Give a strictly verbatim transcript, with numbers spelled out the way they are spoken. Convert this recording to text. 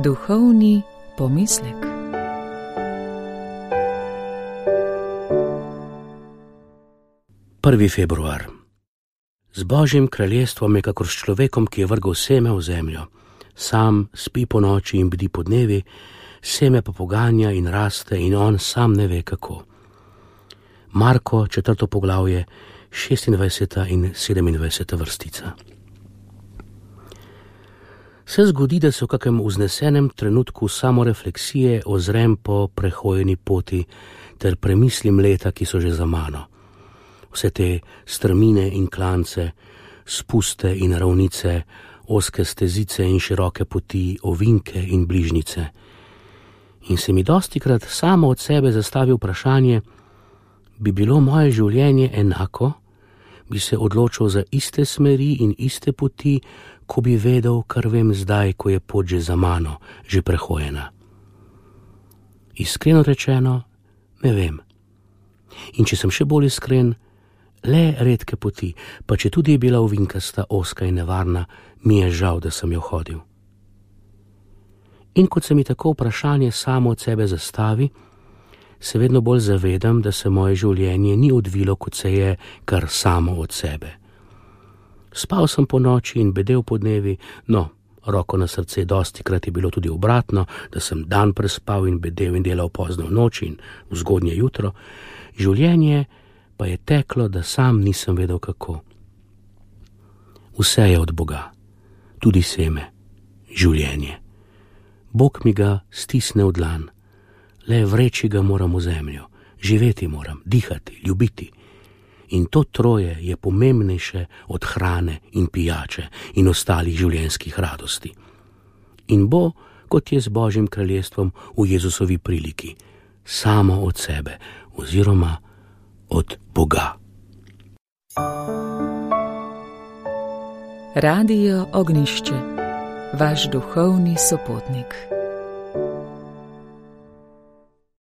Duhovni pomislek. prvi februar. Z Božjim kraljestvom je kakor s človekom, ki je vrgel seme v zemljo. Sam spi po noči in bdi po dnevi, seme pa poganja in raste in on sam ne ve kako. Marko, četrto poglavje, šestindvajseta in sedemindvajseta vrstica. Se zgodi, da se v kakem vznesenem trenutku samorefleksije ozrem po prehojeni poti ter premislim leta, ki so že za mano. Vse te strmine in klance, spuste in ravnice, ozke stezice in široke poti, ovinke in bližnjice. In se mi dostikrat samo od sebe zastavi vprašanje, bi bilo moje življenje enako, bi se odločil za iste smeri in iste poti, ko bi vedel, kar vem zdaj, ko je pot že za mano, že prehojena. Iskreno rečeno, ne vem. In če sem še bolj iskren, le redke poti, pa če tudi je bila ovinkasta, ozka in nevarna, mi je žal, da sem jo hodil. In kot se mi tako vprašanje samo od sebe zastavi, se vedno bolj zavedam, da se moje življenje ni odvilo, kot se je, kar samo od sebe. Spal sem po noči in bedel po dnevi, no, roko na srce, dostikrat je bilo tudi obratno, da sem dan prespal in bedel in delal pozno v noči in v zgodnje jutro, življenje pa je teklo, da sam nisem vedel kako. Vse je od Boga, tudi seme, življenje. Bog mi ga stisne v dlan, le vreči ga moram v zemljo, živeti moram, dihati, ljubiti. In to troje je pomembnejše od hrane in pijače in ostalih življenjskih radosti. In bo, kot je z Božjim kraljestvom v Jezusovi priliki, samo od sebe oziroma od Boga. Radio Ognjišče, vaš duhovni sopotnik.